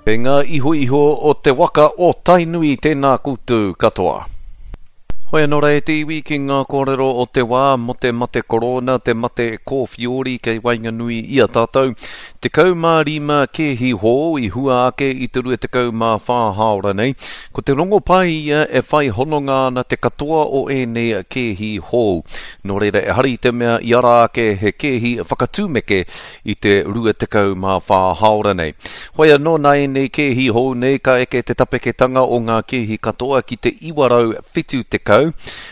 Kei ngā ihoiho o te waka o Tainui tēnā koutou katoa. Hoi anō rā e te iwi ki ngā kōrero o te wā mō te mate korona, te mate kōwhiori kei waenganui i a tātou. 15 kēhi hou i hua ake i te 24 hāora nei. Ko te rongopai ia e whai hononga ana te katoa o ēnei kēhi hou. Nō reira ehara i te mea i ara ake he kēhi whakatūmeke i te 24 hāora nei. Hoi anō nā ēnei kēhi hou nei ka eke te tapeketanga o ngā kēhi katoa ki te 970,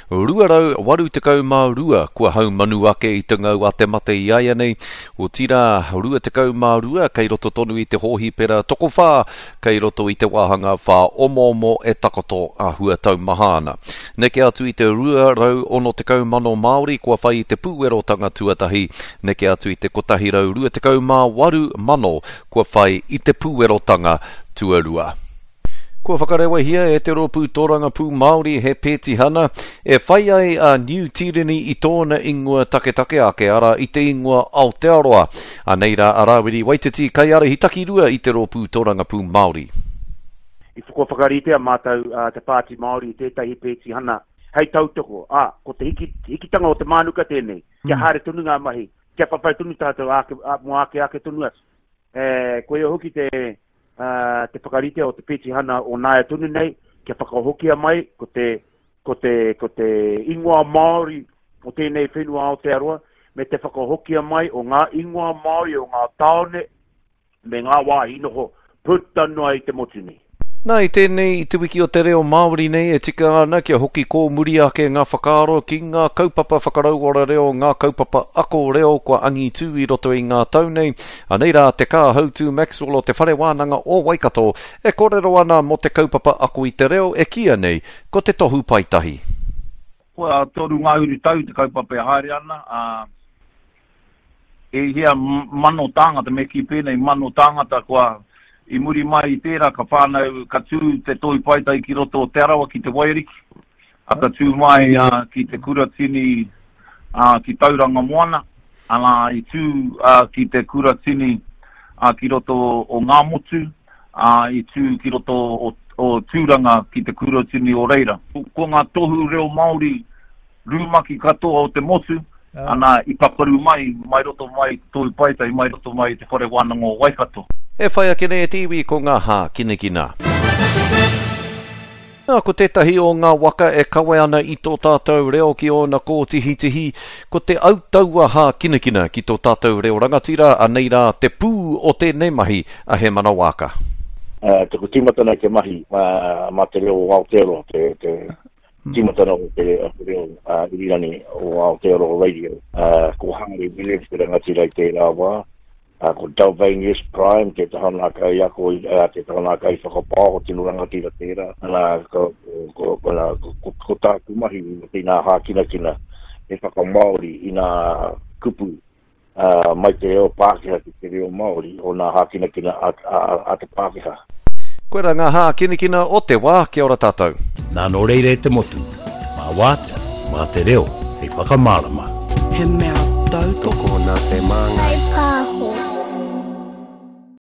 282 kua haumanu ake i te ngau a te mate i āianei, otirā 22 kei roto tonu i te hōhipera tokowhā kei roto i te wāhanga whāomoomo e takoto āhua taumaha ana. Neke atu i te 260,000 Māori kua whai i te pūwerotanga tuatahi, neke atu i te 128,000 kua whai i te pūwerotanga tuarua. Kua whakarewahia e te Rōpū Tōrangapū Māori he pētihana e whai ai a Niu Tīreni i tōna ingoa taketake ake, arā, i te ingoa Aotearoa. Anei rā a Rāwiri Waititi, kaiārahi takirua i te Rōpū Tōrangapū Māori. I kua whakaritea mātou a Te Pāti Māori i tētahi pētihana hei tautoko, ā, ko te hiki, hikitanga o te mānuka tēnei, kia haere tonu ngā mahi, kia whawhai tonu tātou āke, ā, mō āke āke tonu atu. E, koia hoki te, te whakarite o te petihana o nāia tonu nei, kia whakahokia mai ko te, ko te, ko te ingoa Māori o tēnei whenua Aotearoa, me te whakahokia mai o ngā ingoa Māori o ngā tāone me ngā wāhi noho puta noa i te motu nei. Nā, i tēnei, i Te Wiki o te Reo Māori nei, e tika ana kia hoki kōmuri ake ngā whakaaro ki ngā kaupapa whakarauora reo, ngā kaupapa ako reo kua angitū i roto i ngā tau nei. Anei rā te Kāhautū Maxwell o Te Whare Wānanga o Waikato e kōrero ana mō te kaupapa ako i te reo e kīia nei ko Te Tohu Paetahi. Kua 3 ngahuru tau te kaupapa e haere ana, ā, E hia mano tāngata, me kī pēnei, mano tāngata kua, i muri mai i tērā ka whānau, ka tū te Tohu Paetahi ki roto o Te Arawa ki te Waiariki, a ka tū mai ki te Kuratini ki Tauranga Moana, ana i tū ki te Kuratini ki roto o Ngāmotu, ā, i tū ki roto o, o Tūranga ki te Kuratini o reira. Ko ngā tohu reo Māori rumaki katoa o te motu, ana, i pakaru mai, mai roto mai i te Tohu Paetahi, mai roto mai i te Whare Wānanga o Waikato. E whai ake nei e te iwi ko ngā hākinakina. Nā, ko tētahi o ngā waka e kawe ana i tō tātou reo ki ōna kōtihitihi, ko te autaua hākinakina ki tō tātou reo rangatira, anei rā te pū o tēnei mahi a Hēmana Waaka. Taku tīmatanga i te mahi mā te reo o Aotearoa, te, te, Tīmatanga o te reo irirangi o Aotearoa Radio. Ko Hāri Williams te rangatira i tērā wā. Ko Dalvanius Prime tētahi o ngā kaiako, tētahi o ngā kaiwhakapaoho tino rangatira tērā. Ana, ko, ko, ko, ko tāku mahi i ngā hākinakina he whakamāori i ngā kupu ā, mai te reo Pākehā ki te reo Māori o nā hākinakina a, a, a te Pākehā. Koirā ngā hākinakina o te wā, kia ora tātou. Nā nō reira e te motu, mā wātea, mā te reo hei whakamārama. He mea tautoko. Tokona te māngai.